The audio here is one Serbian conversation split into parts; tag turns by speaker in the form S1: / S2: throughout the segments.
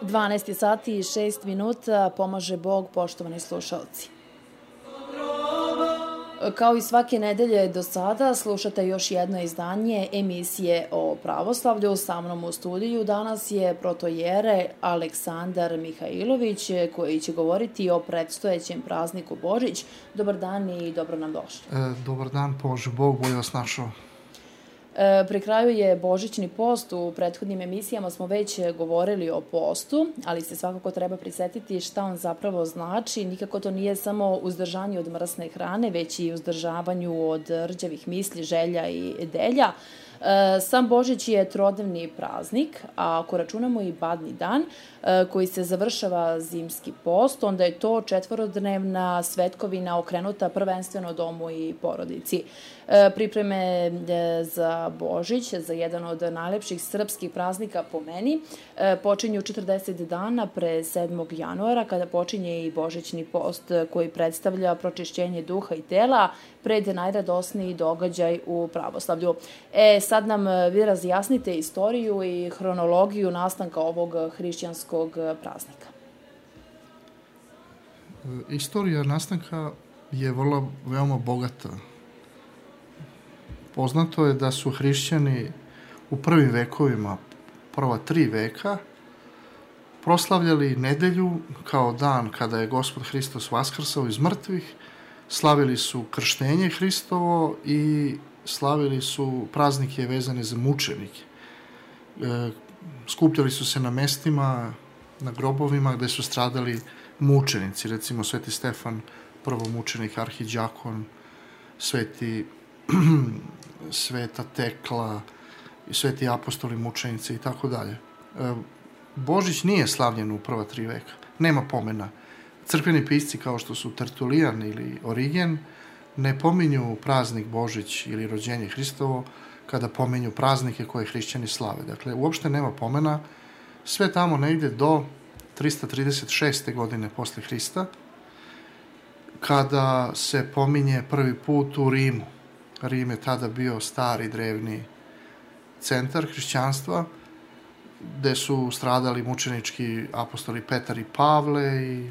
S1: 12 sati i 6 minuta, pomaže Bog, poštovani slušalci. Kao i svake nedelje do sada, slušate još jedno izdanje emisije o pravoslavlju. Sa mnom u studiju danas je protojere Aleksandar Mihajlović, koji će govoriti o predstojećem prazniku Božić. Dobar dan i dobro nam došli.
S2: Dobar dan, pomaže Bog, bolje vas našao.
S1: Pri kraju je Božićni post. U prethodnim emisijama smo već govorili o postu, ali se svakako treba prisjetiti šta on zapravo znači. Nikako to nije samo uzdržanje od mrsne hrane, već i uzdržavanju od rđavih misli, želja i delja. Sam Božić je trodnevni praznik, a ako računamo i badnji dan koji se završava zimski post, onda je to četvorodnevna svetkovina okrenuta prvenstveno domu i porodici. Pripreme za Božić, za jedan od najlepših srpskih praznika po meni, počinju 40 dana pre 7. januara, kada počinje i Božićni post koji predstavlja pročišćenje duha i tela pred najradosniji događaj u pravoslavlju. Sad nam vi razjasnite istoriju i hronologiju nastanka ovog hrišćanskog praznika.
S2: Istorija nastanka je veoma bogata. Poznato je da su hrišćani u prvim vekovima, prva 3 veka, proslavljali nedelju kao dan kada je Gospod Hristos vaskrsao iz mrtvih, slavili su krštenje Hristovo i slavili su praznike vezane za mučenike. Skupljali su se na mestima, na grobovima gde su stradali mučenici, recimo Sveti Stefan, prvomučenik, arhiđakon, Sveta Tekla, sveti apostoli, mučenici i tako dalje. Božić nije slavljen u prva 3 veka, nema pomena. Crkveni pisci kao što su Tertulijan ili Origen ne pominju praznik Božić ili rođenje Hristovo kada pominju praznike koje hrišćani slave. Dakle, uopšte nema pomena, sve tamo negde do 336. godine posle Hrista, kada se pominje prvi put u Rimu. Rim je tada bio stari, drevni centar hrišćanstva, gde su stradali mučenički apostoli Petar i Pavle i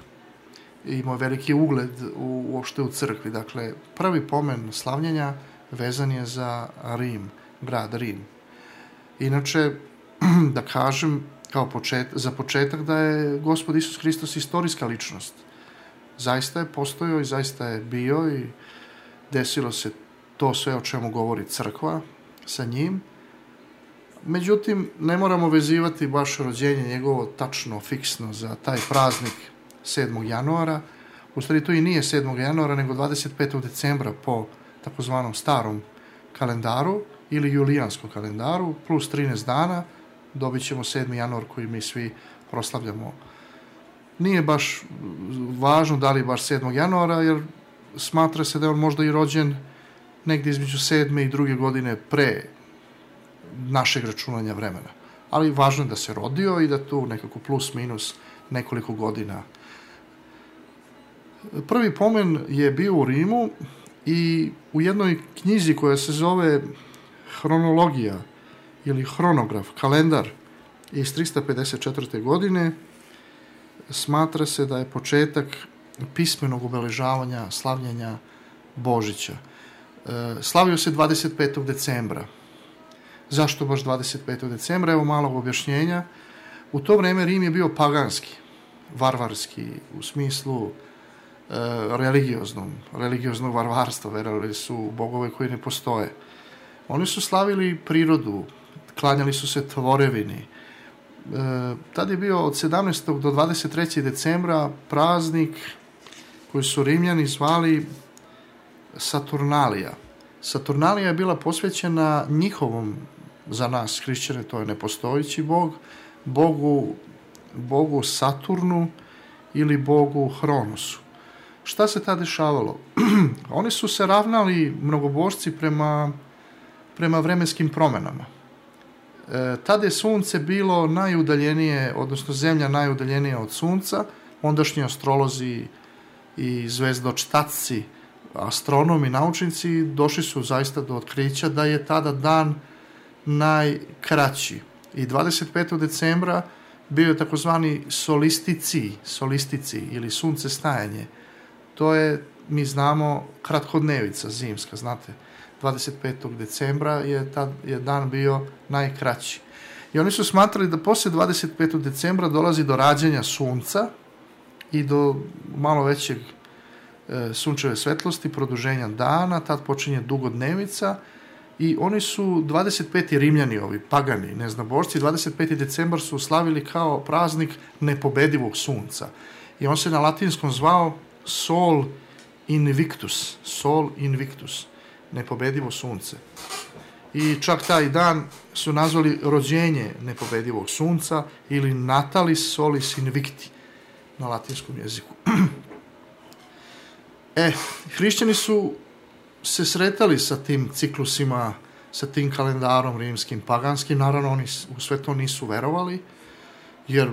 S2: imao veliki ugled uopšte u crkvi. Dakle, prvi pomen slavljenja vezan je za Rim, grad Rim. Inače, da kažem za početak da je Gospod Isus Hristos istorijska ličnost. Zaista je postojao i zaista je bio i desilo se to sve o čemu govori crkva sa njim. Međutim, ne moramo vezivati baš rođenje njegovo tačno, fiksno za taj praznik 7. januara. U stvari to i nije 7. januara, nego 25. decembra po takozvanom starom kalendaru ili julijanskom kalendaru, plus 13 dana, dobit ćemo 7. januar koji mi svi proslavljamo. Nije baš važno da li baš 7. januara, jer smatra se da je on možda i rođen negdje između 7. i 2. godine pre našeg računanja vremena. Ali važno je da se rodio i da tu nekako plus minus nekoliko godina. Prvi pomen je bio u Rimu i u jednoj knjizi koja se zove Hronologija ili Hronograf, kalendar iz 354. godine, smatra se da je početak pismenog obeležavanja slavljenja Božića. Slavio se 25. decembra. Zašto baš 25. decembra? Evo malog objašnjenja. U to vreme Rim je bio paganski, varvarski, u smislu religioznog varvarstva, verovali su u bogove koji ne postoje. Oni su slavili prirodu, klanjali su se tvorevini. Tad je bio od 17. do 23. decembra praznik koji su Rimljani zvali Saturnalija. Saturnalija je bila posvećena njihovom, za nas hrišćane, to je nepostojeći bog, bogu Saturnu ili bogu Hronosu. Šta se tad dešavalo? Oni su se ravnali, mnogobožci, prema vremenskim promenama. Tada je sunce bilo najudaljenije, odnosno zemlja najudaljenija od sunca. Ondašnji astrolozi i zvezdočtaci, astronomi, naučnici došli su zaista do otkrića da je tada dan najkraći. I 25. decembra bio je takozvani solistici ili suncestajanje. To je, mi znamo, kratkodnevica zimska, znate. 25. decembra je dan bio najkraći. I oni su smatrali da poslije 25. decembra dolazi do rađanja sunca i do malo većeg sunčeve svetlosti, produženja dana, tad počinje dugodnevica i oni su 25. Rimljani, ovi pagani, neznabošci, 25. decembar su slavili kao praznik nepobedivog sunca. I on se na latinskom zvao Sol Invictus, nepobedivo sunce. I čak taj dan su nazvali rođenje nepobedivog sunca ili Natalis Solis Invicti na latinskom jeziku. Hrišćani su se sretali sa tim ciklusima, sa tim kalendarom rimskim, paganskim. Naravno, oni u sve to nisu verovali, jer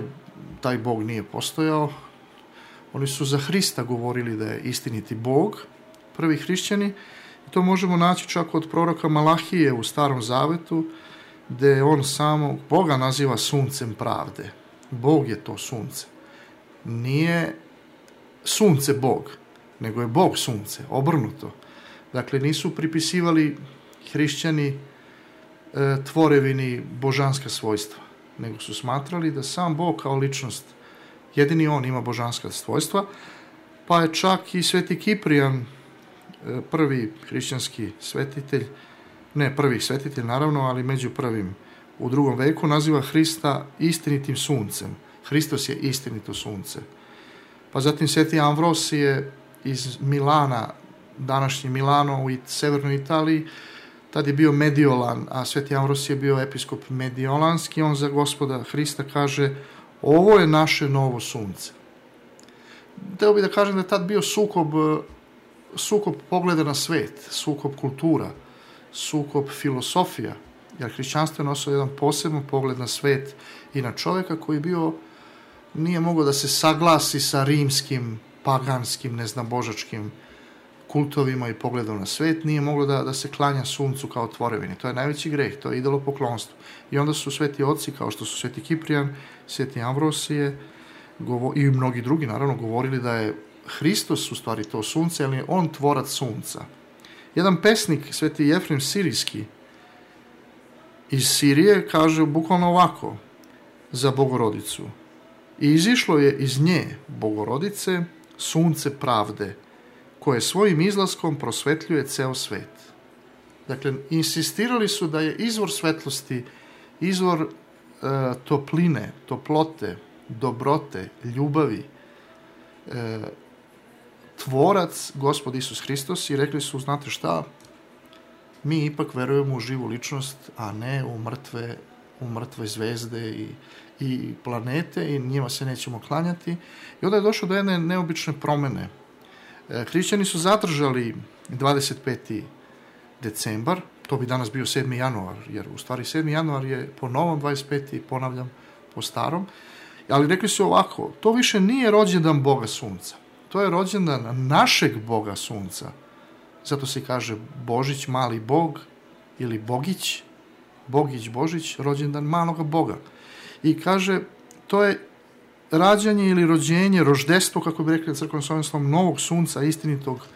S2: taj Bog nije postojao. Oni su za Hrista govorili da je istiniti Bog, prvi hrišćani. I to možemo naći čak od proroka Malahije u Starom Zavetu, gde on samo Boga naziva suncem pravde. Bog je to sunce. Nije sunce Bog, nego je Bog sunce, obrnuto. Dakle, nisu pripisivali hrišćani tvorevini božanska svojstva, nego su smatrali da sam Bog kao ličnost, jedini on ima božanska svojstva, pa je čak i sveti Kiprijan, prvi hrišćanski svetitelj, ne prvi svetitelj naravno, ali među prvim u 2. veku, naziva Hrista istinitim suncem. Hristos je istinito sunce. Pa zatim sveti Amvrosije iz Milana, današnji Milano u severnoj Italiji, tad je bio Mediolan, a sveti Amvrosije je bio episkop mediolanski. On za Gospoda Hrista kaže: ovo je naše novo sunce. Hteo bih da kažem da je tad bio sukob pogleda na svet, sukob kultura, sukob filosofija, jer hrišćanstvo je nosilo jedan poseban pogled na svet i na čovjeka koji nije mogao da se saglasi sa rimskim, paganskim, neznabožačkim kultovima i pogledom na svet, nije moglo da se klanja suncu kao tvorevini. To je najveći greh, to je idolopoklonstvo. I onda su sveti oci, kao što su sveti Kiprijan, sveti Amvrosije i mnogi drugi, naravno, govorili da je Hristos u stvari to sunce, ali je on tvorac sunca. Jedan pesnik, sveti Jefrem Sirijski, iz Sirije, kaže bukvalno ovako za Bogorodicu: i izišlo je iz nje, Bogorodice, sunce pravde, koje svojim izlaskom prosvetljuje ceo svet. Dakle, insistirali su da je izvor svetlosti, izvor topline, toplote, dobrote, ljubavi, tvorac Gospod Isus Hristos, i rekli su: znate šta, mi ipak verujemo u živu ličnost, a ne u mrtve zvezde i planete, i njima se nećemo klanjati. I onda je došlo do jedne neobične promene. Hrišćani su zadržali 25. decembar, to bi danas bio 7. januar, jer u stvari 7. januar je po novom 25. ponavljam, po starom, ali rekli su ovako: to više nije rođendan Boga sunca, to je rođendan našeg Boga sunca. Zato se kaže Božić, mali Bog, ili Bogić, Bogić, Božić, rođendan maloga Boga. I kaže, to je rađanje ili rođenje, roždestvo, kako bi rekli na crkvenom slovenskom, novog sunca, istinitog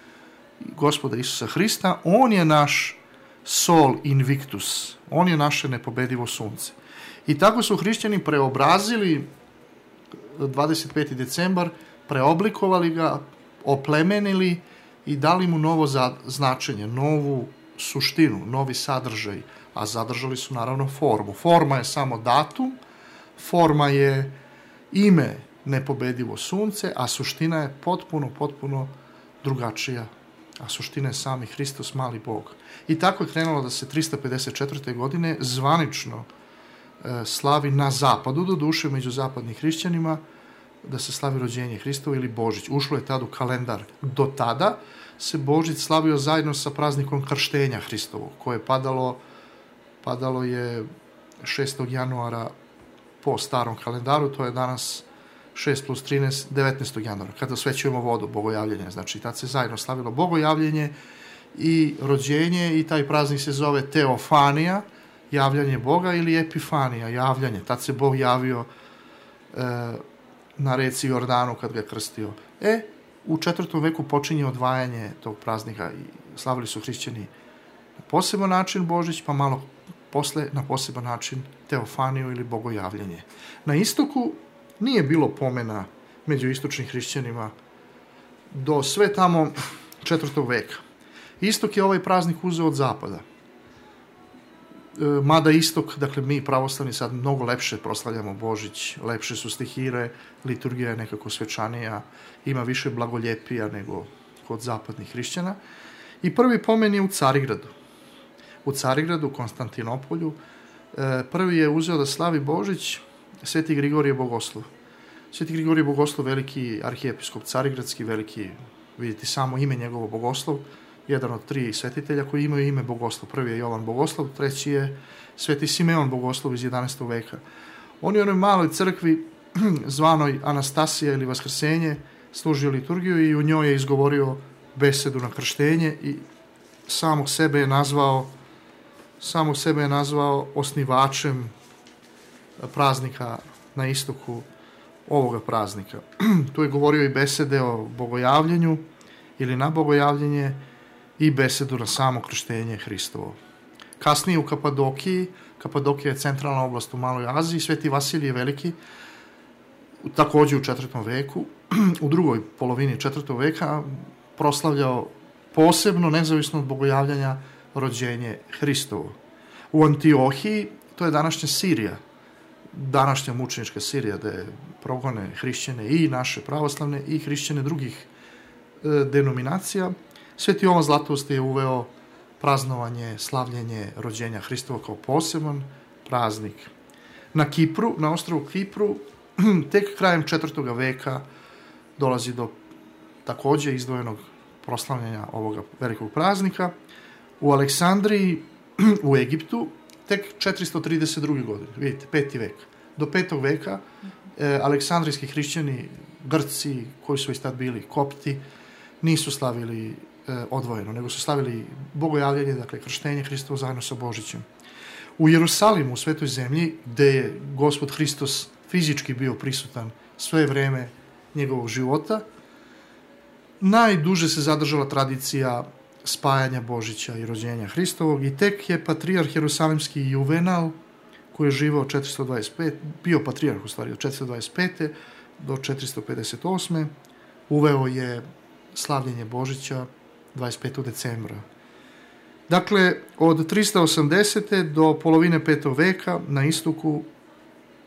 S2: Gospoda Isusa Hrista. On je naš Sol Invictus, on je naše nepobedivo sunce. I tako su hrišćani preobrazili 25. decembar, preoblikovali ga, oplemenili i dali mu novo značenje, novu suštinu, novi sadržaj, a zadržali su naravno formu. Forma je samo datum, forma je ime nepobedivo sunce, a suština je potpuno drugačija. A suština je sami Hristos, mali Bog. I tako je krenulo da se 354. godine zvanično slavi na zapadu, do duše među zapadnim hrišćanima, da se slavi rođenje Hristovo ili Božić. Ušlo je tad u kalendar. Do tada se Božić slavio zajedno sa praznikom krštenja Hristovog, koje je padalo je 6. januara po starom kalendaru, to je danas 6 plus 13, 19. januara, kada osvećujemo vodu, bogojavljenje. Znači, tad se zajedno slavilo bogojavljenje i rođenje, i taj praznik se zove Teofanija, javljanje Boga, ili Epifanija, javljanje. Tad se Bog javio na reci Jordanu kad ga je krstio. U 4. veku počinje odvajanje tog praznika i slavili su hrišćani na poseban način Božić, pa malo posle na poseban način teofaniju ili bogojavljanje. Na istoku nije bilo pomena među istočnim hrišćanima do sve tamo 4. veka. Istok je ovaj praznik uzeo od zapada. Mada istok, dakle mi pravoslavni sad mnogo lepše proslavljamo Božić, lepše su stihire, liturgija je nekako svečanija, ima više blagoljepija nego kod zapadnih hrišćana. I prvi pomen je u Carigradu. U Carigradu, Konstantinopolju, prvi je uzeo da slavi Božić Sveti Grigorije Bogoslov. Sveti Grigorije Bogoslov, veliki arhijepiskop carigradski, veliki, vidite samo ime njegovo Bogoslov, jedan od 3 svetitelja koji imaju ime Bogoslov. Prvi je Jovan Bogoslov, treći je Sveti Simeon Bogoslov iz 11. veka. On je u onoj maloj crkvi zvanoj Anastasija ili Vaskrsenje služio liturgiju i u njoj je izgovorio besedu na krštenje i samog sebe je nazvao osnivačem praznika na istoku ovoga praznika. Tu je govorio i besede o bogojavljenju ili na bogojavljenje i besedu na samo krštenje Hristovo. Kasnije u Kapadokiji, Kapadokija je centralna oblast u Maloj Aziji, Sveti Vasilije Veliki, također u 4. veku, u drugoj polovini 4. veka, proslavljao posebno, nezavisno od bogojavljanja, rođenje Hristovo. U Antiohiji, to je današnja Sirija, današnja mučenička Sirija, gde progone hrišćane i naše pravoslavne i hrišćane drugih denominacija, Sveti Jovan Zlatoust je uveo praznovanje, slavljenje rođenja Hristova kao poseban praznik. Na Kipru, na ostrvu Kipru, tek krajem 4. veka dolazi do također izdvojenog proslavljanja ovoga velikog praznika. U Aleksandriji, u Egiptu, tek 432. godine, vidite, 5. vek. Do 5. veka aleksandrijski hrišćani, Grci, koji su već tad bili kopti, nisu slavili odvojeno, nego su slavili bogojavljanje, dakle krštenje Hristovo zajedno sa Božićem. U Jerusalimu, u Svetoj zemlji, gde je Gospod Hristos fizički bio prisutan sve vreme njegovog života, najduže se zadržala tradicija spajanja Božića i rođenja Hristovog i tek je patrijarh jerusalimski Juvenal, koji je živao 425, bio patrijarh u stvari od 425. do 458. uveo je slavljenje Božića 25. decembra. Dakle, od 380. do polovine 5. veka na istoku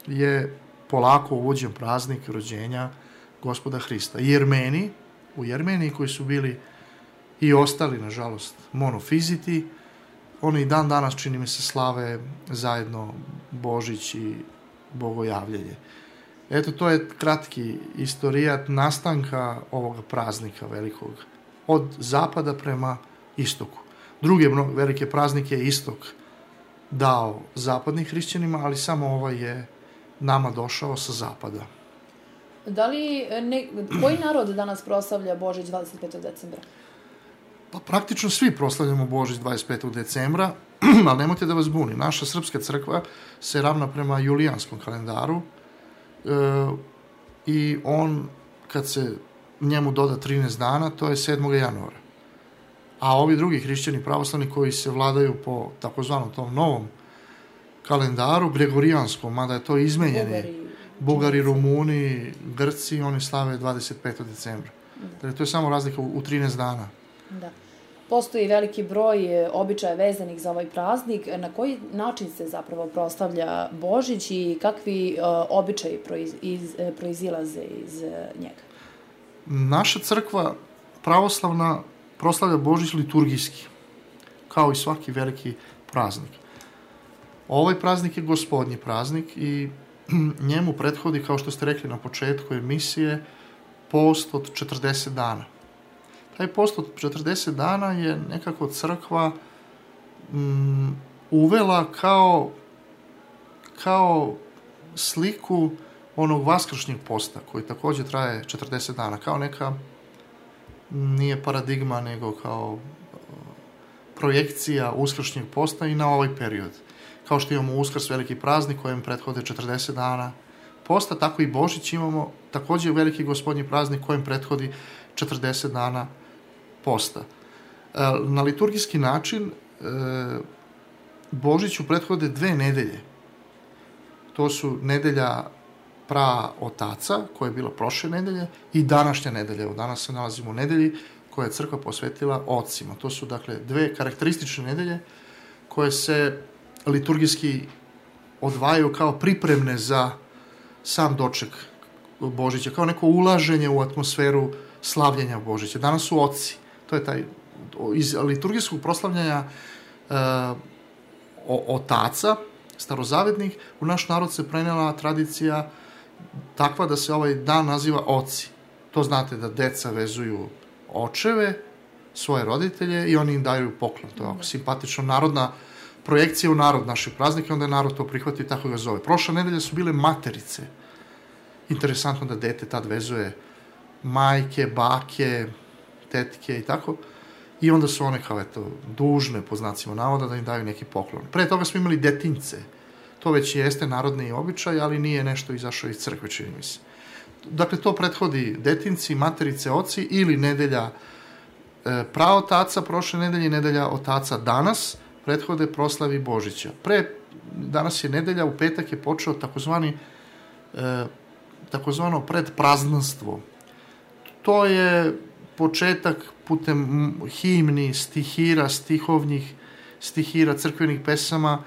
S2: je polako uvođen praznik rođenja Gospoda Hrista. Jermeni, u Jermeniji koji su bili i ostali, nažalost, monofiziti, oni i dan danas, čini mi se, slave zajedno Božić i bogojavljenje. Eto, to je kratki istorijat nastanka ovoga praznika velikog, od zapada prema istoku. Druge velike praznike je istok dao zapadnim hrišćanima, ali samo ovaj je nama došao sa zapada.
S1: Koji narod danas proslavlja Božić 25. decembra?
S2: Pa praktično svi proslavljamo Božić 25. decembra, ali nemojte da vas buni. Naša srpska crkva se ravna prema julijanskom kalendaru i on, kad se njemu doda 13 dana, to je 7. januara. A ovi drugi hrišćani pravoslavni koji se vladaju po takozvanom tom novom kalendaru, gregorijanskom, mada je to izmenjeni, Bugari, Rumuni, Grci, oni slave 25. decembra. Dakle, to je samo razlika u 13 dana.
S1: Da. Postoji veliki broj običaja vezanih za ovaj praznik. Na koji način se zapravo proslavlja Božić i kakvi običaji proizilaze iz njega?
S2: Naša crkva pravoslavna proslavlja Božić liturgijski, kao i svaki veliki praznik. Ovaj praznik je gospodnji praznik i njemu prethodi, kao što ste rekli na početku emisije, post od 40 dana. Taj post od 40 dana je nekako crkva uvela kao sliku onog vaskršnjeg posta, koji također traje 40 dana, kao neka, nije paradigma, nego kao projekcija uskršnjeg posta i na ovaj period. Kao što imamo Uskrs, veliki praznik, kojem prethode 40 dana posta, tako i Božić imamo takođe veliki gospodnji praznik kojem prethodi 40 dana posta. Na liturgijski način Božiću prethode 2 nedelje. To su nedelja praotaca, koja je bila prošle nedelje, i današnja nedelja. Evo, danas se nalazimo u nedelji koja je crkva posvetila ocima. To su, dakle, 2 karakteristične nedelje koje se liturgijski odvajaju kao pripremne za sam doček Božića, kao neko ulaženje u atmosferu slavljenja Božića. Danas su oci. To je taj, iz liturgijskog proslavljanja otaca, starozavetnih, u naš narod se prenela tradicija takva da se ovaj dan naziva oci. To znate da deca vezuju očeve, svoje roditelje, i oni im daju poklon. To je ovako simpatično, narodna projekcija u narod naših praznika, onda je narod to prihvatio i tako ga zove. Prošle nedelje su bile materice. Interesantno da dete tad vezuje majke, bake, tetke i tako. I onda su one kao, eto, dužne, po znacima navoda, da im daju neki poklon. Pre toga smo imali detince. To već jeste narodni običaj, ali nije nešto izašao iz crkve, čini mi se. Dakle, to prethodi detinci, materice, oci, ili nedelja praotaca prošle nedelje i nedelja otaca danas, prethode proslavi Božića. Danas je nedelja, u petak je počeo takozvano predpraznanstvo. To je početak putem himni, stihira, stihira, crkvenih pesama.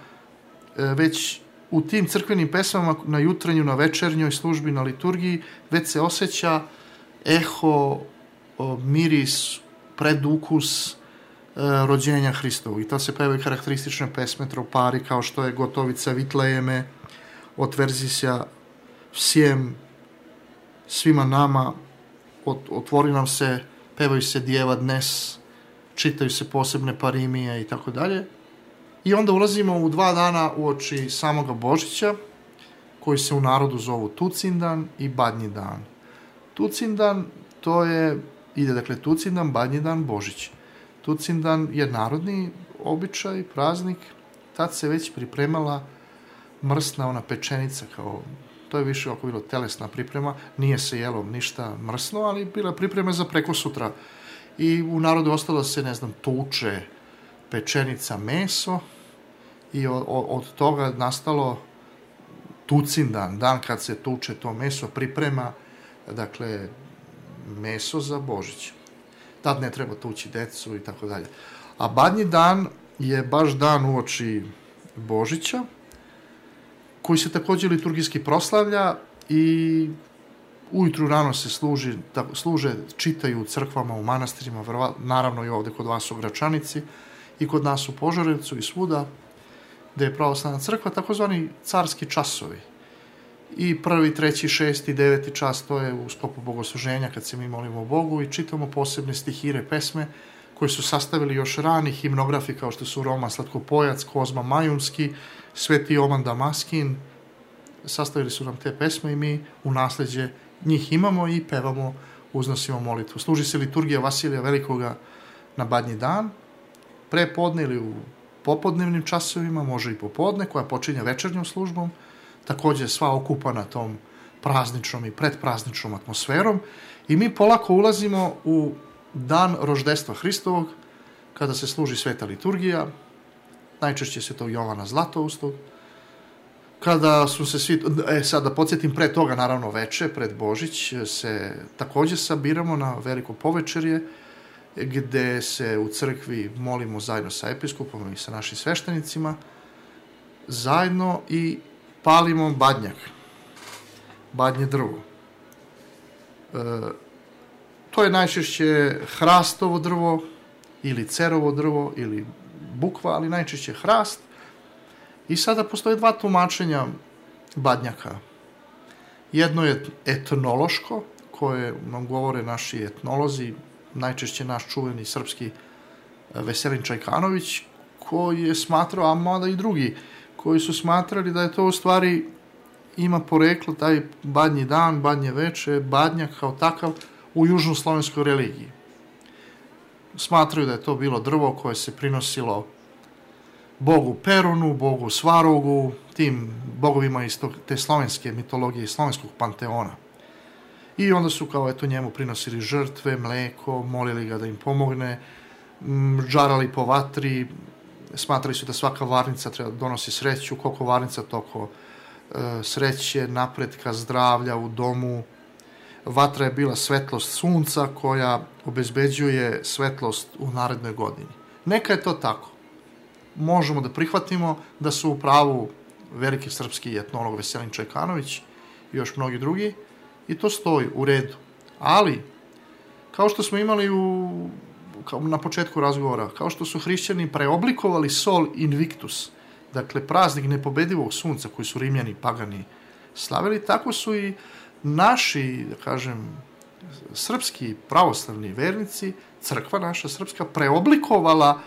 S2: Već u tim crkvenim pesmama na jutrenju, na večernjoj službi, na liturgiji, već se osjeća eho, miris, predukus rođenja Hristovog. I to se pevaju karakteristične pesme tropari, kao što je Gotovica Vitlejeme, Otverzi se svima nama, otvori nam se, pevaju se Djeva dnes, čitaju se posebne parimije i tako dalje. I onda ulazimo u 2 dana uoči samoga Božića, koji se u narodu zovu Tucindan i Badnji dan. Tucindan, dakle, Tucindan, Badnji dan, Božić. Tucindan je narodni običaj, praznik, tad se već pripremala mrsna ona pečenica, to je više oko bilo telesna priprema, nije se jelo ništa mrsno, ali bila priprema za preko sutra. I u narodu ostalo se, tuče pečenica, meso, i od toga nastalo Tucindan, dan kad se tuče to meso, priprema, dakle, meso za Božić. Tad ne treba tući decu i tako dalje. A Badnji dan je baš dan uoči Božića, koji se takođe liturgijski proslavlja, i ujutru rano se služe, čitaju u crkvama, u manastirima, naravno i ovde kod vas u Gračanici, i kod nas u Požarevcu i svuda, gde je pravoslavna crkva, takozvani carski časovi. I 1., 3., 6., 9. čas, to je u sklopu bogosluženja, kad se mi molimo Bogu i čitamo posebne stihire, pesme, koje su sastavili još rani himnografi, kao što su Roma Slatkopojac, Kozma Majunski, Sveti Jovan Damaskin. Sastavili su nam te pesme i mi u nasleđe njih imamo i pevamo, uznosimo molitvu. Služi se liturgija Vasilija Velikoga na Badnji dan, prepodne ili u popodnevnim časovima, može i popodne, koja počinje večernjom službom, takođe sva okupana tom prazničnom i predprazničnom atmosferom, i mi polako ulazimo u dan roždestva Hristovog, kada se služi sveta liturgija, najčešće svetog Jovana Zlatoustog, kada su se svi, sad da podsjetim, pre toga, naravno veče, pred Božić, se takođe sabiramo na veliko povečerje, gde se u crkvi molimo zajedno sa episkopom i sa našim sveštenicima, zajedno, i palimo badnjak, badnje drvo. To je najčešće hrastovo drvo, ili cerovo drvo, ili bukva, ali najčešće hrast. I sada postoje 2 tumačenja badnjaka. Jedno je etnološko, koje nam govore naši etnolozi, najčešće naš čuveni srpski Veselin Čajkanović, koji je smatrao, a mada i drugi, koji su smatrali da je to u stvari ima poreklo, taj Badnji dan, Badnje veče, badnjak kao takav, u južnoslovenskoj religiji. Smatraju da je to bilo drvo koje se prinosilo bogu Perunu, bogu Svarogu, tim bogovima iz te slovenske mitologije i slovenskog panteona. I onda su kao eto njemu prinosili žrtve, mleko, molili ga da im pomogne, žarali po vatri, smatrali su da svaka varnica treba da donosi sreću, koliko varnica toliko sreće, napretka, zdravlja u domu. Vatra je bila svetlost sunca koja obezbeđuje svetlost u narednoj godini. Neka je to tako. Možemo da prihvatimo da su u pravu veliki srpski etnolog Veselin Čajkanović i još mnogi drugi i to stoji u redu. Ali, kao što smo imali na početku razgovora, kao što su hrišćani preoblikovali sol invictus, dakle praznik nepobedivog sunca koji su Rimljani pagani slavili, tako su i naši, da kažem, srpski pravoslavni vernici, crkva naša srpska, preoblikovala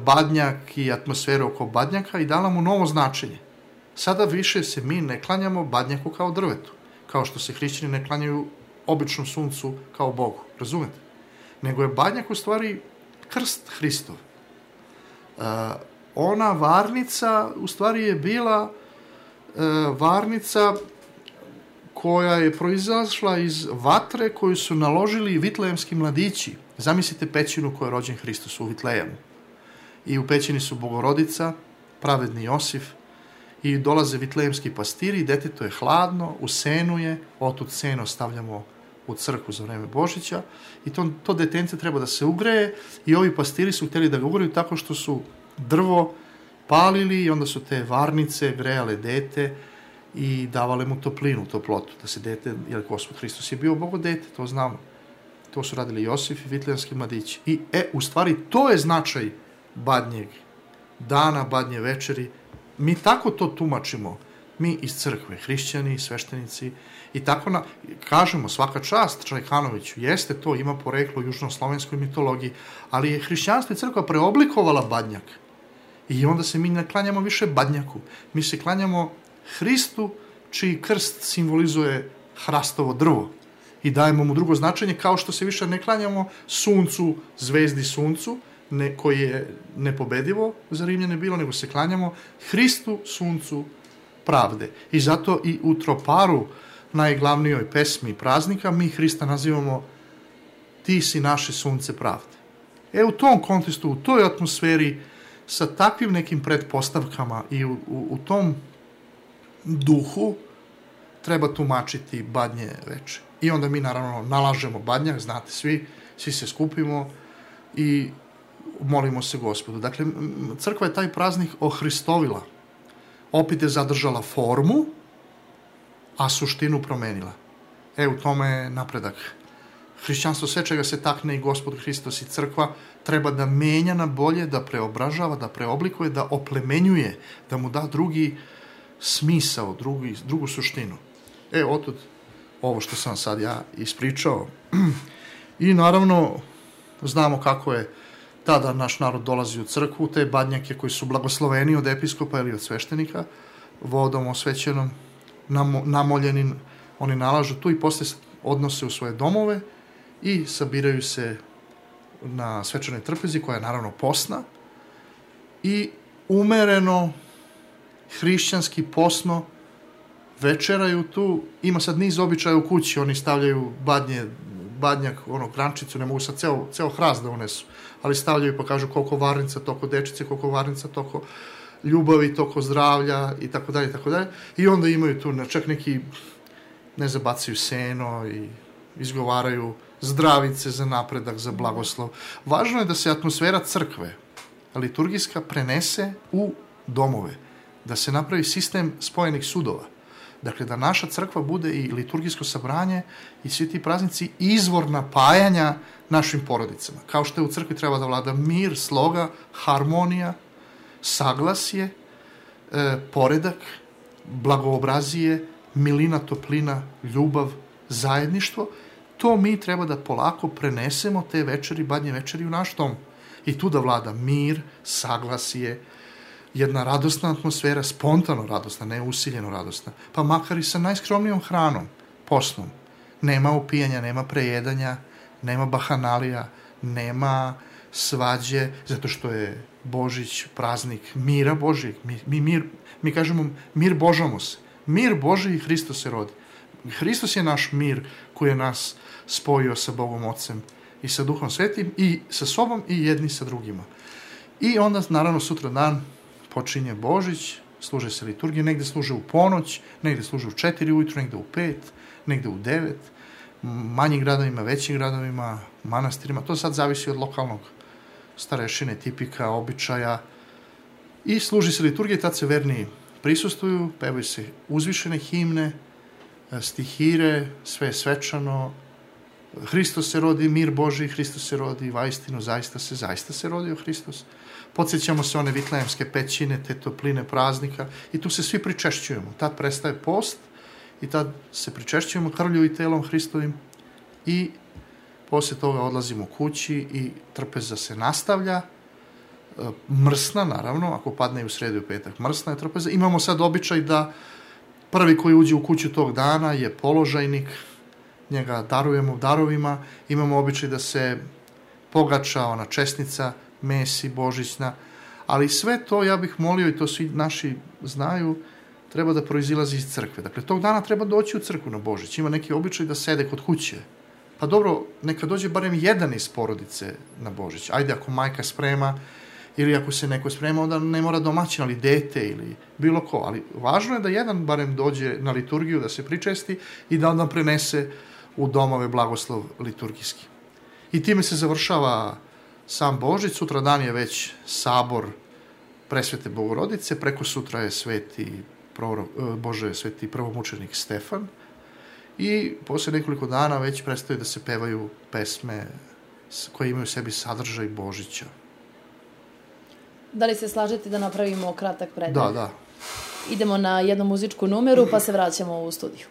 S2: badnjak i atmosferu oko badnjaka i dala mu novo značenje. Sada više se mi ne klanjamo badnjaku kao drvetu, kao što se hrišćani ne klanjaju običnom suncu kao Bogu, razumete? Nego je badnjak u stvari krst Hristov. Ona varnica u stvari je bila varnica koja je proizašla iz vatre koju su naložili vitlejemski mladići. Zamislite pećinu koja je rođen Hristos u Vitlejemu. I u pećini su Bogorodica, pravedni Josif, i dolaze vitlejemski pastiri, deteto je hladno, u senu je, otud seno stavljamo u crkvu za vreme Božića i to detence treba da se ugreje i ovi pastiri su htjeli da ga ugreju tako što su drvo palili i onda su te varnice grejale dete i davale mu toplinu, toplotu, da se dete, jer Gospod Hristos je bio Bogo dete, to znamo. To su radili Josif i vitlejemski mladići. I u stvari to je značaj badnjeg dana, badnje večeri. Mi tako to tumačimo, mi iz crkve, hrišćani, sveštenici, i tako kažemo svaka čast Čajkanoviću, jeste to, ima poreklo u južnoslovenskoj mitologiji, ali je hrišćanstvo i crkva preoblikovala badnjak. I onda se mi ne klanjamo više badnjaku, mi se klanjamo Hristu, čiji krst simbolizuje hrastovo drvo. I dajemo mu drugo značenje, kao što se više ne klanjamo suncu, zvezdi suncu, koji je nepobedivo za Rimljane bilo, nego se klanjamo Hristu, suncu pravde. I zato i u troparu, najglavnijoj pesmi praznika, mi Hrista nazivamo ti si naše sunce pravde. U tom kontekstu, u toj atmosferi, sa takvim nekim pretpostavkama i u tom duhu treba tumačiti badnje veče. I onda mi naravno nalažemo badnjak, znate svi se skupimo i molimo se Gospodu. Dakle, crkva je taj praznik ohristovila. Opet je zadržala formu, a suštinu promenila. U tome je napredak. Hrišćanstvo, sve čega se takne i Gospod Hristos i crkva, treba da menja na bolje, da preobražava, da preoblikuje, da oplemenjuje, da mu da drugi smisao, drugu suštinu. Otud ovo što sam sad ja ispričao. I naravno, znamo kako je tada naš narod dolazi u crkvu, te badnjake koji su blagosloveni od episkopa ili od sveštenika, vodom osvećenom, namoljenim, oni nalažu tu i posle odnose u svoje domove i sabiraju se na svečanoj trpezi, koja je naravno posna, i umereno, hrišćanski, posno, večeraju tu. Ima sad niz običaja u kući, oni stavljaju badnjak, grančicu, ne mogu sad ceo hrast da unesu, ali stavljaju pa kažu koliko varnica, toliko dečice, koliko varnica, toliko ljubavi, toliko zdravlja i tako dalje, tako dalje. I onda imaju tu čak neki, ne zabacaju seno i izgovaraju zdravice za napredak, za blagoslov. Važno je da se atmosfera crkve, liturgijska, prenese u domove, da se napravi sistem spojenih sudova. Dakle, da naša crkva bude i liturgijsko sabranje i svi ti praznici izvor napajanja našim porodicama. Kao što je u crkvi treba da vlada mir, sloga, harmonija, saglasje, poredak, blagoobrazije, milina, toplina, ljubav, zajedništvo, to mi treba da polako prenesemo te večeri, badnje večeri u naš dom. I tu da vlada mir, saglasje, jedna radosna atmosfera, spontano radosna, ne usiljeno radosna, pa makar i sa najskromnijom hranom, posnom. Nema upijanja, nema prejedanja, nema bahanalija, nema svađe, zato što je Božić, praznik mira Božijeg. Mi kažemo mir Božamos. Mir Božiji, Hristos se rodi. Hristos je naš mir koji je nas spojio sa Bogom Ocem i sa Duhom Svetim i sa sobom i jedni sa drugima. I onda, naravno, sutra dan počinje Božić, služe se liturgije, negde služe u ponoć, negde služe u 4 ujutru, negde u 5, negde u 9, manjim gradovima, većim gradovima, manastirima, to sad zavisi od lokalnog starešine, tipika, običaja. I služi se liturgije, tad se verni prisustuju, pevaju se uzvišene himne, stihire, sve je svečano, Hristos se rodi, mir Božiji, Hristos se rodi, vaistinu, zaista se rodio Hristos. Podsjećamo se one vitlejemske pećine, te topline praznika i tu se svi pričešćujemo. Tad prestaje post i tad se pričešćujemo krvlju i telom Hristovim i poslije toga odlazimo kući i trpeza se nastavlja. Mrsna, naravno, ako padne u sredu i petak, mrsna je trpeza. Imamo sad običaj da prvi koji uđe u kuću tog dana je položajnik, njega darujemo darovima, imamo običaj da se pogača ona česnica, mesi, božićna, ali sve to, ja bih molio, i to svi naši znaju, treba da proizilazi iz crkve. Dakle, tog dana treba doći u crkvu na Božić. Ima neki običaj da sede kod kuće. Pa dobro, neka dođe barem jedan iz porodice na Božić. Ajde, ako majka sprema, ili ako se neko sprema, onda ne mora domaćin, ali dete ili bilo ko. Ali važno je da jedan barem dođe na liturgiju, da se pričesti i da onda prenese u domove blagoslov liturgijski. I time se završava sam Božić. Sutra dan je već sabor Presvete Bogorodice, preko sutra je sveti prvomučenik Stefan i poslije nekoliko dana već prestaju da se pevaju pesme koje imaju u sebi sadržaj Božića.
S1: Da li se slažete da napravimo kratak predah?
S2: Da.
S1: Idemo na jednu muzičku numeru pa se vraćamo u studiju.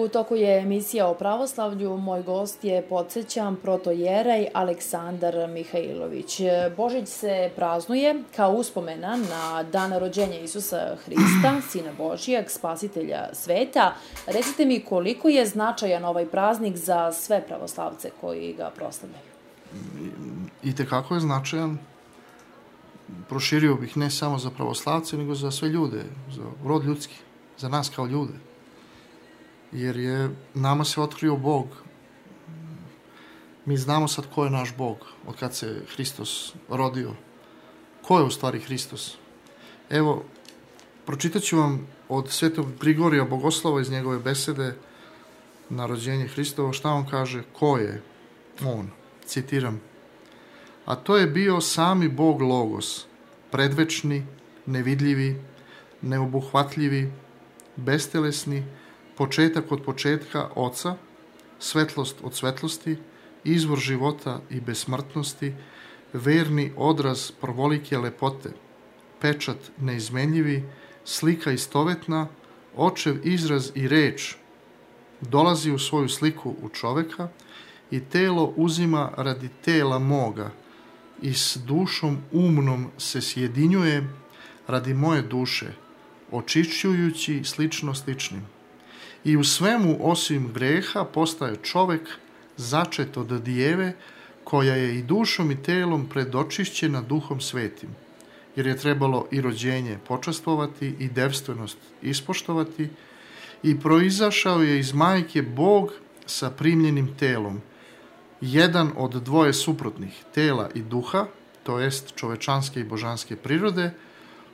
S1: toku je emisija o pravoslavlju. Moj gost je, podsjećam, protojerej Aleksandar Mihajlović. Božić se praznuje kao uspomena na dan rođenja Isusa Hrista, Sina Božijeg, spasitelja sveta. Recite mi, koliko je značajan ovaj praznik za sve pravoslavce koji ga proslavljaju?
S2: Itekako je značajan. Proširio bih ne samo za pravoslavce, nego za sve ljude, za rod ljudski, za nas kao ljude. Jer je nama se otkrio Bog. Mi znamo sad ko je naš Bog, od kad se Hristos rodio. Ko je u stvari Hristos? Evo, pročitat ću vam od Svetog Grigorija Bogoslova iz njegove besede na rođenje Hristovo, šta on kaže, ko je on, citiram. A to je bio sami Bog Logos, predvečni, nevidljivi, neobuhvatljivi, bestelesni, početak od početka Oca, svetlost od svetlosti, izvor života i besmrtnosti, verni odraz prvolike lepote, pečat neizmenljivi, slika istovetna, očev izraz i reč, dolazi u svoju sliku u čoveka i telo uzima radi tela moga i s dušom umnom se sjedinjuje radi moje duše, očišćujući slično sličnim. I u svemu osim greha postaje čovek začet od dijeve koja je i dušom i telom predočišćena duhom svetim, jer je trebalo i rođenje počastvovati i devstvenost ispoštovati i proizašao je iz majke Bog sa primljenim telom, jedan od dvoje suprotnih, tela i duha, to jest čovečanske i božanske prirode,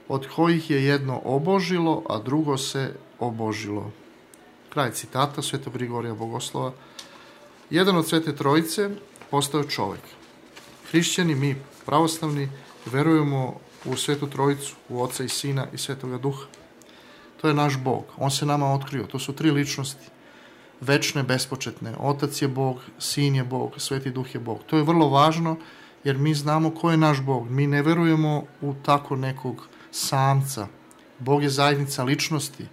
S2: od kojih je jedno obožilo, a drugo se obožilo. Kraj citata Svetog Grigorija Bogoslova. Jedan od Svete Trojice postao čovek. Hrišćani, mi pravoslavni, verujemo u Svetu Trojicu, u Oca i Sina i Svetoga Duha. To je naš Bog. On se nama otkrio. To su tri ličnosti. Večne, bespočetne. Otac je Bog, Sin je Bog, Sveti Duh je Bog. To je vrlo važno jer mi znamo ko je naš Bog. Mi ne verujemo u tako nekog samca. Bog je zajednica ličnosti.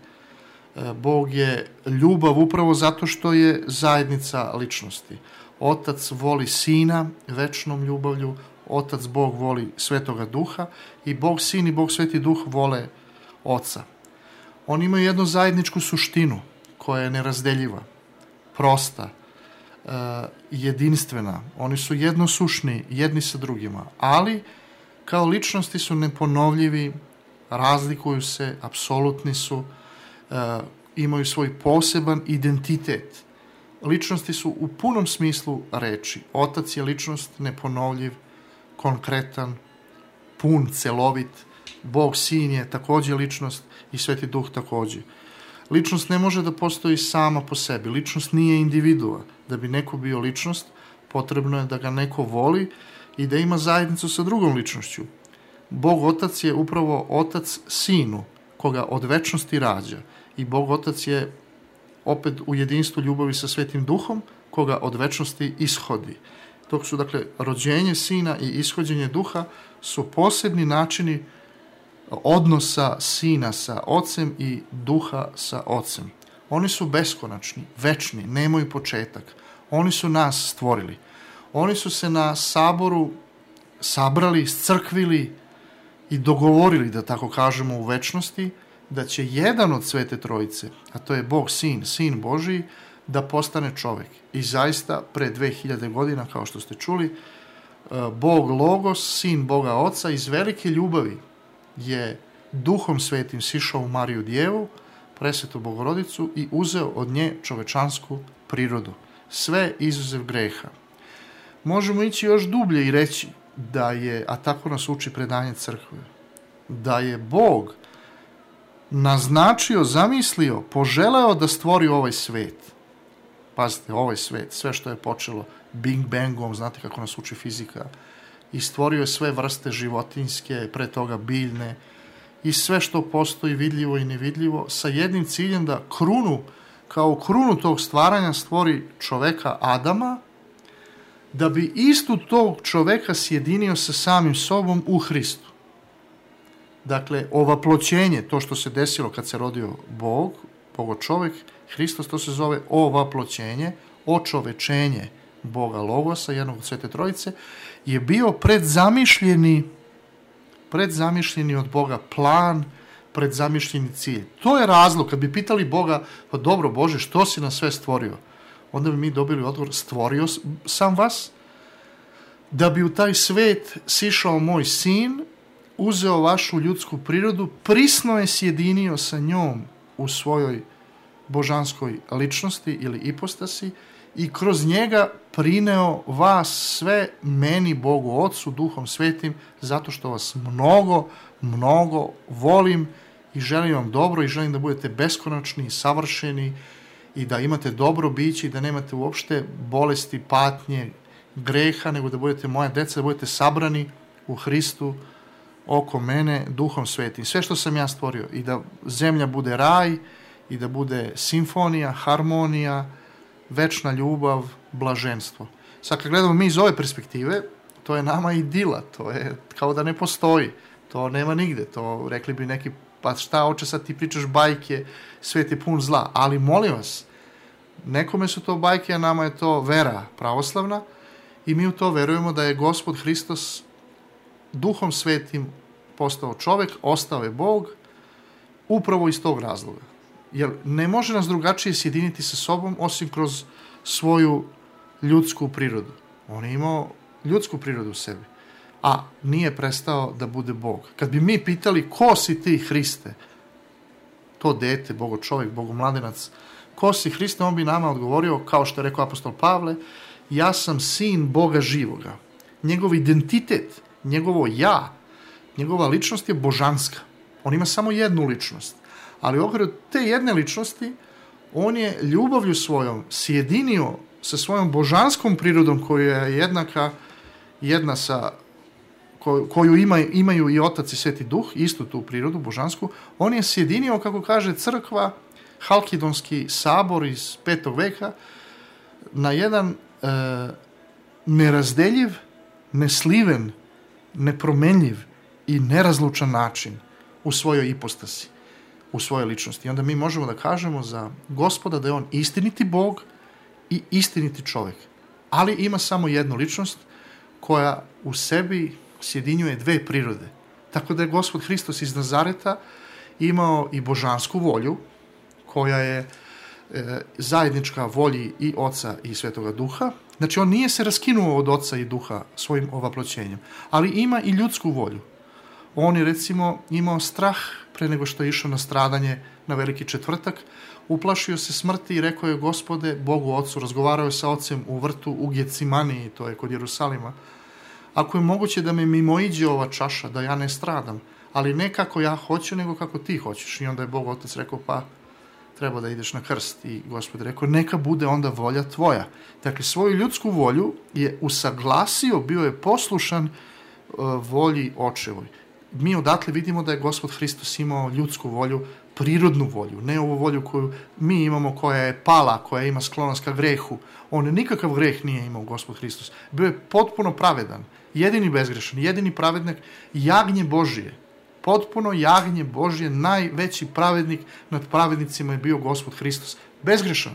S2: Bog je ljubav upravo zato što je zajednica ličnosti. Otac voli Sina večnom ljubavlju, Otac Bog voli Svetoga Duha i Bog Sin i Bog Sveti Duh vole Oca. Oni imaju jednu zajedničku suštinu koja je nerazdeljiva, prosta, jedinstvena. Oni su jednosušni jedni sa drugima, ali kao ličnosti su neponovljivi, razlikuju se, apsolutni su, imaju svoj poseban identitet. Ličnosti su u punom smislu reči. Otac je ličnost, neponovljiv, konkretan, pun, celovit. Bog Sin je takođe ličnost i Sveti Duh takođe. Ličnost ne može da postoji sama po sebi. Ličnost nije individua. Da bi neko bio ličnost, potrebno je da ga neko voli i da ima zajednicu sa drugom ličnošću. Bog Otac je upravo Otac Sinu, koga od večnosti rađa. I Bog Otac je opet u jedinstvu ljubavi sa Svetim Duhom, koga od večnosti ishodi. Dok su, dakle, rođenje Sina i ishođenje Duha su posebni načini odnosa Sina sa Ocem i Duha sa Ocem. Oni su beskonačni, večni, nemaju početak. Oni su nas stvorili. Oni su se na saboru sabrali, scrkvili i dogovorili, da tako kažemo, u večnosti, da će jedan od Svete Trojice, a to je Bog Sin, Sin Božiji, da postane čovek. I zaista, pre 2000 godina, kao što ste čuli, Bog Logos, Sin Boga Oca, iz velike ljubavi je Duhom Svetim sišao u Mariju Djevu, Presvetu Bogorodicu i uzeo od nje čovečansku prirodu. Sve izuzev greha. Možemo ići još dublje i reći da je, a tako nas uči predanje crkve, da je Bog naznačio, zamislio, poželeo da stvori ovaj svet. Pazite, ovaj svet, sve što je počelo Big Bangom, znate kako nas uči fizika, i stvorio je sve vrste životinjske, pre toga biljne, i sve što postoji vidljivo i nevidljivo, sa jednim ciljem da kao krunu tog stvaranja stvori čoveka Adama, da bi istu tog čoveka sjedinio sa samim sobom u Hristu. Dakle, ovaploćenje, to što se desilo kad se rodio Bog Bogo čovjek, Hristos, to se zove ovaploćenje, očovečenje Boga Logosa, jednog od Svete Trojice, je bio predzamišljeni od Boga plan, predzamišljeni cilj. To je razlog, kad bi pitali Boga, pa dobro Bože, što si nas sve stvorio? Onda bi mi dobili odgovor, stvorio sam vas, da bi u taj svet sišao moj sin, uzeo vašu ljudsku prirodu, prisno je sjedinio sa njom u svojoj božanskoj ličnosti ili ipostasi i kroz njega prineo vas sve meni, Bogu Otcu, Duhom Svetim, zato što vas mnogo volim i želim vam dobro i želim da budete beskonačni i savršeni i da imate dobro biće i da nemate uopšte bolesti, patnje, greha, nego da budete moja deca, da budete sabrani u Hristu oko mene Duhom Svetim. Sve što sam ja stvorio i da zemlja bude raj i da bude simfonija, harmonija, večna ljubav, blaženstvo. Sad kad gledamo mi iz ove perspektive, to je nama idila, to je kao da ne postoji, to nema nigde, to rekli bi neki, pa šta oče sad ti pričaš bajke, svet je pun zla, ali molim vas, nekome su to bajke, a nama je to vera pravoslavna i mi u to verujemo da je Gospod Hristos Duhom Svetim postao čovek, ostao je Bog, upravo iz tog razloga. Jer ne može nas drugačije sjediniti sa sobom osim kroz svoju ljudsku prirodu. On je imao ljudsku prirodu u sebi, a nije prestao da bude Bog. Kad bi mi pitali ko si ti Hriste, to dete, Bogo čovjek, Bogo mladenac, ko si Hriste, on bi nama odgovorio, kao što je rekao apostol Pavle, ja sam sin Boga živoga. Njegov identitet, njegovo ja, njegova ličnost je božanska. On ima samo jednu ličnost. Ali u okviru te jedne ličnosti on je ljubavlju svojom sjedinio sa svojom božanskom prirodom koja je jedna sa koju imaju i Otac i Sveti Duh, istu tu prirodu božansku. On je sjedinio, kako kaže crkva, Halkidonski sabor iz 5. veka na jedan nerazdeljiv, nesliven, nepromenljiv i nerazlučan način u svojoj ipostasi, u svojoj ličnosti. I onda mi možemo da kažemo za Gospoda da je on istiniti Bog i istiniti čovjek. Ali ima samo jednu ličnost koja u sebi sjedinjuje dve prirode. Tako da je Gospod Hristos iz Nazareta imao i božansku volju, koja je zajednička volji i Oca i Svetoga Duha. Znači, on nije se raskinuo od Oca i Duha svojim ovaploćenjem, ali ima i ljudsku volju. On je, recimo, imao strah pre nego što je išao na stradanje na Veliki četvrtak, uplašio se smrti i rekao je, Gospode, Bogu Ocu, razgovarao je sa Ocem u vrtu u Gecimaniji, to je kod Jerusalima, ako je moguće da me mimoiđe ova čaša, da ja ne stradam, ali ne kako ja hoću, nego kako ti hoćeš. I onda je Bog Otac rekao, pa treba da ideš na krst. I Gospod je rekao, neka bude onda volja tvoja. Dakle, svoju ljudsku volju je usaglasio, bio je poslušan volji Očevoj. Mi odatle vidimo da je Gospod Hristos imao ljudsku volju, prirodnu volju, ne ovu volju koju mi imamo, koja je pala, koja ima sklonost ka grehu. On nikakav greh nije imao, Gospod Hristos. Bio je potpuno pravedan, jedini bezgrešan, jedini pravednik, jagnje Božije. Potpuno jagnje Božije, najveći pravednik nad pravednicima je bio Gospod Hristos. Bezgrešan.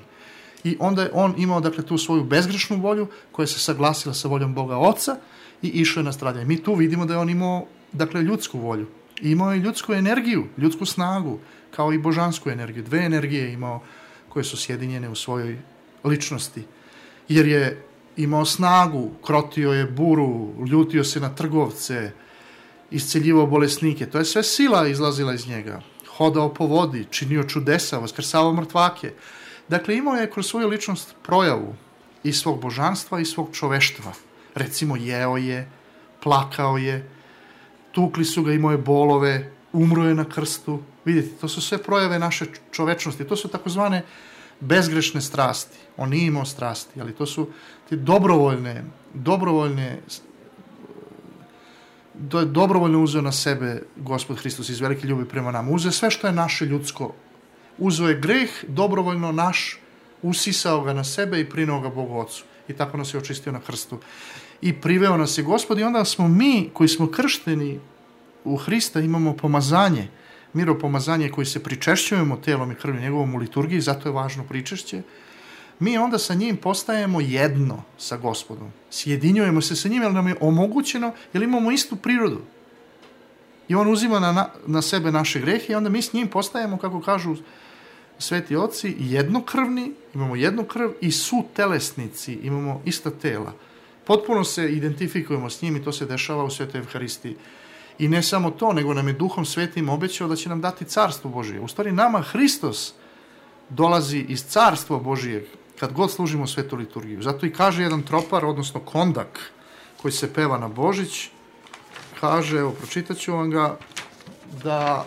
S2: I onda je on imao, dakle, tu svoju bezgrešnu volju koja se saglasila sa voljom Boga Oca i išao je na stradanje. Mi tu vidimo da je on imao, dakle, ljudsku volju. Imao je ljudsku energiju, ljudsku snagu, kao i božansku energiju. Dve energije je imao koje su sjedinjene u svojoj ličnosti. Jer je imao snagu, krotio je buru, ljutio se na trgovce, isceljivao bolesnike. To je sve sila izlazila iz njega. Hodao po vodi, činio čudesa, vaskrsavao mrtvake. Dakle, imao je kroz svoju ličnost projavu i svog božanstva i svog čoveštva. Recimo, jeo je, plakao je, tukli su ga, imao je bolove, umro je na krstu. Vidite, to su sve projave naše čovečnosti. To su takozvane bezgrešne strasti. On nije imao strasti, ali to su te dobrovoljno uzeo na sebe Gospod Hristos iz velike ljubavi prema nama. Uzeo sve što je naše ljudsko. Uzeo je greh, dobrovoljno naš, usisao ga na sebe i prineo ga Bogu Ocu. I tako nas je očistio na krstu. I priveo nas je Gospod i onda smo mi, koji smo kršteni u Hrista, imamo pomazanje. miropomazanje koji se pričešćujemo telom i krvlju njegovom u liturgiji, zato je važno pričešće, mi onda sa njim postajemo jedno sa Gospodom. Sjedinjujemo se sa njim, jer nam je omogućeno, jer imamo istu prirodu. I on uzima na sebe naše grehe i onda mi s njim postajemo, kako kažu sveti oci, jednokrvni, imamo jednu krv i sutelesnici, imamo ista tela. Potpuno se identifikujemo s njim i to se dešava u Svetoj Evharistiji. I ne samo to, nego nam je Duhom Svetim obećao da će nam dati Carstvo Božije. U stvari nama Hristos dolazi iz Carstva Božijeg kad god služimo svetu liturgiju. Zato i kaže jedan tropar, odnosno kondak, koji se peva na Božić, kaže, evo, pročitat ću vam ga, da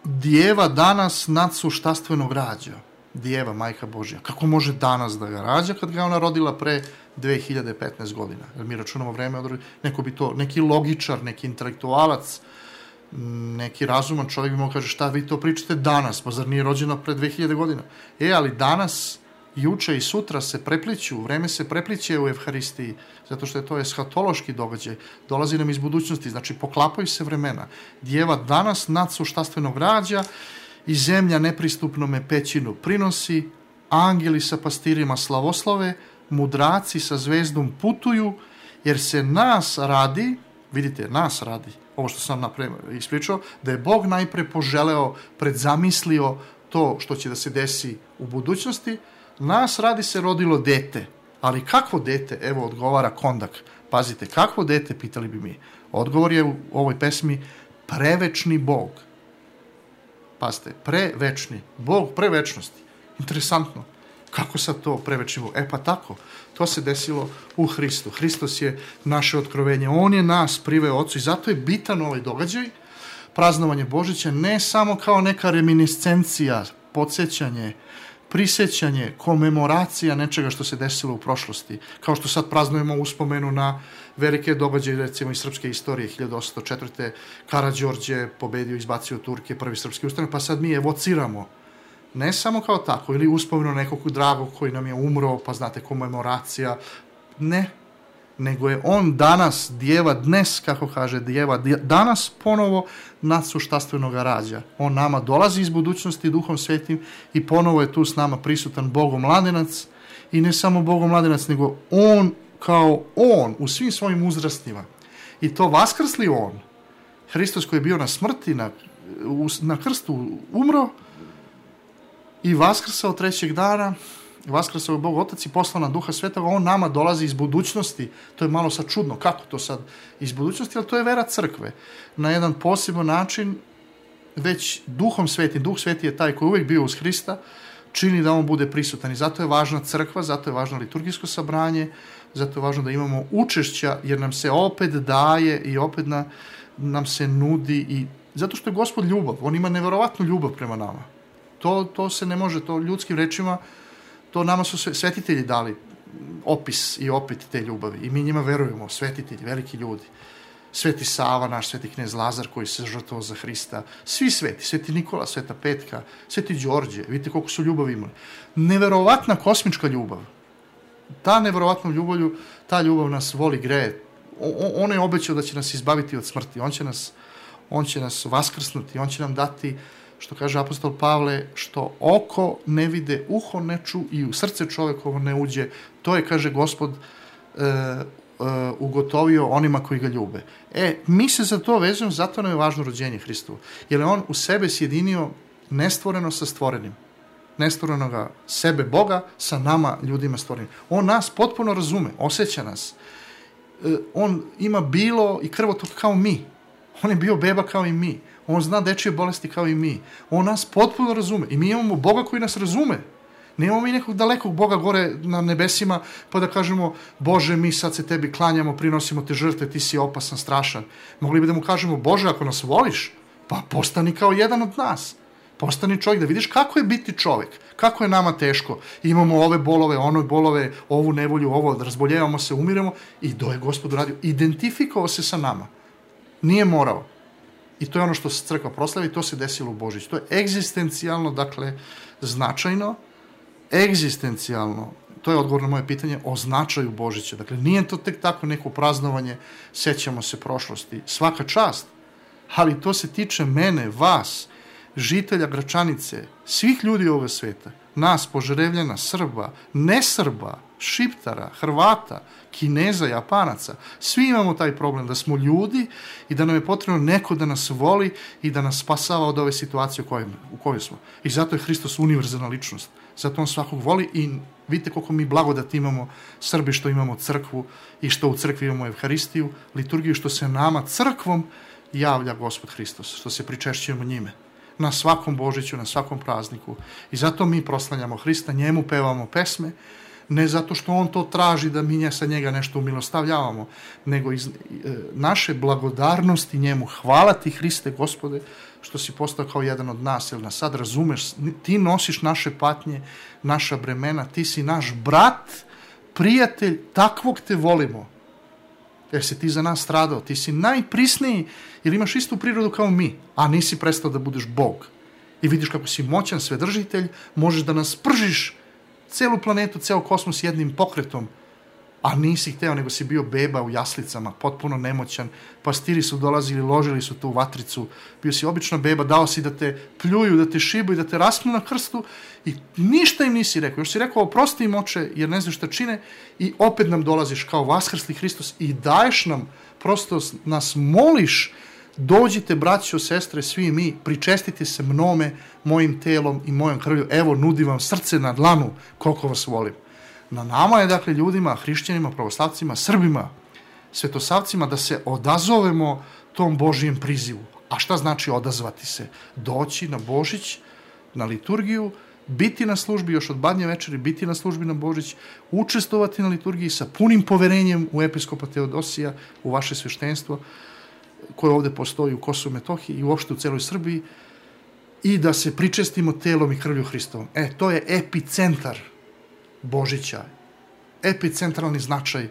S2: Djeva danas nadsuštastvenog rađa. Djeva, Majka Božja. Kako može danas da ga rađa kad ga ona rodila pre 2015 godina? Jer mi računamo vreme, neko bi to, neki logičar, neki intelektualac, neki razuman čovjek bi mogao kaže šta vi to pričate danas, pa zar nije rođena pre 2000 godina? Ali danas, juče i sutra se prepliću, vreme se prepliće u Evharistiji, zato što je to eshatološki događaj, dolazi nam iz budućnosti, znači poklapaju se vremena. Djeva danas nadsuštastvenog rađa i zemlja nepristupnome pećinu prinosi, angeli sa pastirima slavoslove, mudraci sa zvezdom putuju, jer se nas radi, vidite, nas radi, ovo što sam ispričao, da je Bog najpre poželeo, predzamislio to što će da se desi u budućnosti, nas radi se rodilo dete. Ali kakvo dete? Evo odgovara kondak. Pazite, kakvo dete, pitali bi mi. Odgovor je u ovoj pesmi prevečni Bog. Pazite, prevečni. Bog prevečnosti. Interesantno. Kako sad to prevečni Bog? Pa tako. To se desilo u Hristu. Hristos je naše otkrovenje. On je nas priveo Otcu i zato je bitan ovaj događaj, praznovanje Božića, ne samo kao neka reminiscencija, podsjećanje, prisjećanje, komemoracija nečega što se desilo u prošlosti. Kao što sad praznujemo uspomenu na velike događaje, recimo iz srpske istorije, 1804. Karađorđe pobedio, izbacio Turke, prvi srpski ustanak, pa sad mi evociramo. Ne samo kao tako, ili uspomenu nekog dragog koji nam je umro, pa znate, komemoracija. Ne, nego je on danas, Djeva dnes, kako kaže Djeva, danas ponovo nadsuštastvenoga rađa. On nama dolazi iz budućnosti Duhom Svetim i ponovo je tu s nama prisutan Bogomladenac i ne samo Bogomladenac, nego on kao on u svim svojim uzrastima. I to vaskrsli on, Hristos koji je bio na smrti, na krstu umro i vaskrsao trećeg dana, vaskrsao je Bog Otac i poslao na Duha Svetoga, on nama dolazi iz budućnosti. To je malo sad čudno, kako to sad iz budućnosti, ali to je vera crkve. Na jedan poseban način, već Duhom Svetim, Duh Sveti je taj koji je uvijek bio uz Hrista, čini da on bude prisutan i zato je važna crkva, zato je važno liturgijsko sabranje, zato je važno da imamo učešća, jer nam se opet daje i opet nam se nudi i zato što je Gospod ljubav, on ima neverovatnu ljubav prema nama. To se ne može, to ljudskim rečima, to nama su svetitelji dali opis i opet te ljubavi i mi njima verujemo, svetitelji, veliki ljudi. Sveti Sava, naš sveti knez Lazar koji se žrtvovao za Hrista, svi sveti, sveti Nikola, sveta Petka, sveti Đorđe, vidite koliko su ljubavi imali. Neverovatna kosmička ljubav. Ta neverovatna ljubav, ta ljubav nas voli, greje. On je obećao da će nas izbaviti od smrti, on će nas vaskrsnuti, on će nam dati, što kaže apostol Pavle, što oko ne vide, uho ne ču i u srce čovekovo ne uđe. To je, kaže Gospod, ugotovio onima koji ga ljube. Mi se za to vezujemo, zato nam je važno rođenje Hristovo. Jer je on u sebe sjedinio nestvoreno sa stvorenim. Nestvorenoga sebe Boga sa nama, ljudima stvorenim. On nas potpuno razume, osjeća nas. On ima bilo i krvotok kao mi. On je bio beba kao i mi. On zna dečije bolesti kao i mi. On nas potpuno razume. I mi imamo Boga koji nas razume. Nemamo mi nekog dalekog Boga gore na nebesima pa da kažemo, Bože, mi sad se tebi klanjamo, prinosimo te žrtve, ti si opasan, strašan. Mogli bi da mu kažemo, Bože, ako nas voliš, pa postani kao jedan od nas. Postani čovjek, da vidiš kako je biti čovjek, kako je nama teško. Imamo ove bolove, one bolove, ovu nevolju, ovo, razboljevamo se, umiremo i do je Gospod uradio. Identifikovao se sa nama. Nije morao. I to je ono što se crkva proslavi, to se desilo u Božić. To je egzistencijalno, dakle, značajno, egzistencijalno, to je odgovor na moje pitanje, o značaju Božića. Dakle, nije to tek tako neko praznovanje, sećamo se prošlosti. Svaka čast, ali to se tiče mene, vas, žitelja Gračanice, svih ljudi ovog sveta, nas, Požarevljana, Srba, nesrba, Šiptara, Hrvata, Kineza, Japanaca. Svi imamo taj problem da smo ljudi i da nam je potrebno neko da nas voli i da nas spasava od ove situacije u kojoj smo. I zato je Hristos univerzalna ličnost. Zato on svakog voli i vidite koliko mi blagodati imamo Srbi što imamo crkvu i što u crkvi imamo Evharistiju, liturgiju, što se nama crkvom javlja Gospod Hristos, što se pričešćujemo njime. Na svakom Božiću, na svakom prazniku. I zato mi proslavljamo Hrista, njemu pevamo pesme, ne zato što on to traži da mi sa njega nešto umilostavljavamo, nego iz naše blagodarnosti njemu. Hvala ti, Hriste, Gospode, što si postao kao jedan od nas, jer nas sad razumeš, ti nosiš naše patnje, naša bremena, ti si naš brat, prijatelj, takvog te volimo. Jer si ti za nas stradao, ti si najprisniji, jer imaš istu prirodu kao mi, a nisi prestao da budeš Bog. I vidiš kako si moćan svedržitelj, možeš da nas pržiš celu planetu, ceo kosmos jednim pokretom, a nisi hteo, nego si bio beba u jaslicama, potpuno nemoćan, pastiri su dolazili, ložili su tu vatricu, bio si obična beba, dao si da te pljuju, da te šibaju, da te raspnu na krstu i ništa im nisi rekao. Još si rekao, oprosti im, oče, jer ne znaš šta čine, i opet nam dolaziš kao vaskrsli Hristos i daješ nam, prosto nas moliš, dođite, braćo, sestre, svi mi, pričestite se mnome, mojim telom i mojom krvlju, evo, nudim vam srce na dlanu, koliko vas volim. Na nama je, dakle, ljudima, hrišćanima, pravoslavcima, Srbima, svetosavcima, da se odazovemo tom Božijem prizivu. A šta znači odazvati se? Doći na Božić, na liturgiju, biti na službi još od Badnje večeri, biti na službi na Božić, učestvovati na liturgiji sa punim poverenjem u episkopa Teodosija, u vaše sveštenstvo, koje ovde postoji u Kosovu i Metohiji i uopšte u celoj Srbiji, i da se pričestimo telom i krvlju Hristovom. To je epicentar Božića, epicentralni značaj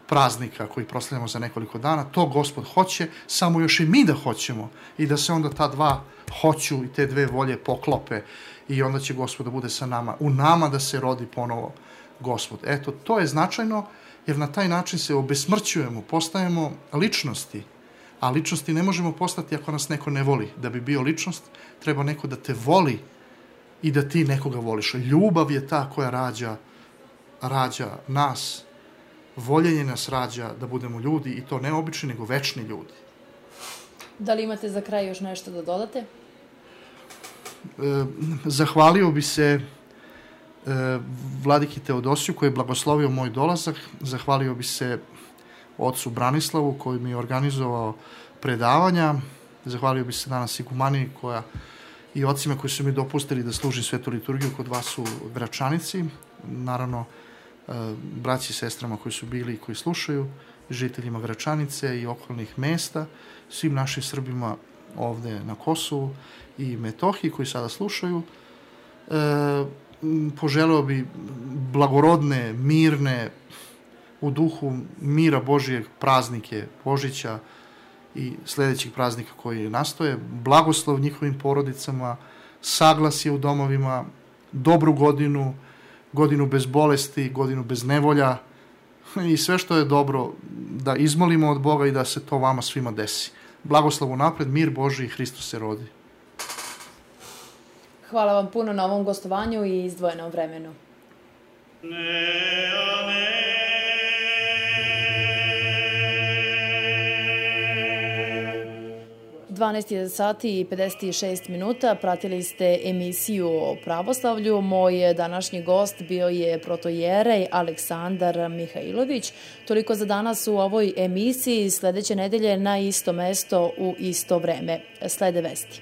S2: praznika koji proslavljamo za nekoliko dana. To Gospod hoće, samo još i mi da hoćemo i da se onda ta dva hoću i te dve volje poklope i onda će Gospod da bude sa nama, u nama da se rodi ponovo Gospod. Eto, to je značajno, jer na taj način se obesmrćujemo, postajemo ličnosti, a ličnosti ne možemo postati ako nas neko ne voli. Da bi bio ličnost, treba neko da te voli i da ti nekoga voliš. Ljubav je ta koja rađa nas, voljenje nas rađa da budemo ljudi, i to ne obični, nego večni ljudi.
S1: Da li imate za kraj još nešto da dodate?
S2: Zahvalio bi se vladiki Teodosiju koji je blagoslovio moj dolazak, zahvalio bi se ocu Branislavu koji mi je organizovao predavanja, zahvalio bi se danas igumaniji i ocima koji su mi dopustili da služim svetu liturgiju kod vas u Gračanici, naravno braći i sestrama koji su bili i koji slušaju, žiteljima Gračanice i okolnih mesta, svim našim Srbima ovde na Kosovu i Metohiji koji sada slušaju. Poželeo bi blagorodne, mirne, u duhu mira Božijeg praznike Božića i sledećih praznika koji nastoje, blagoslov njihovim porodicama, saglasje u domovima, dobru godinu, godinu bez bolesti, godinu bez nevolja i sve što je dobro da izmolimo od Boga i da se to vama svima desi. Blagoslov unapred, mir Božiji i Hristos se rodi.
S1: Hvala vam puno na ovom gostovanju i izdvojenom vremenu. 12 sati i 56 minuta, pratili ste emisiju o pravoslavlju. Moj današnji gost bio je protojerej Aleksandar Mihajlović. Toliko za danas u ovoj emisiji. Sledeće nedelje na isto mesto u isto vreme. Slede vesti.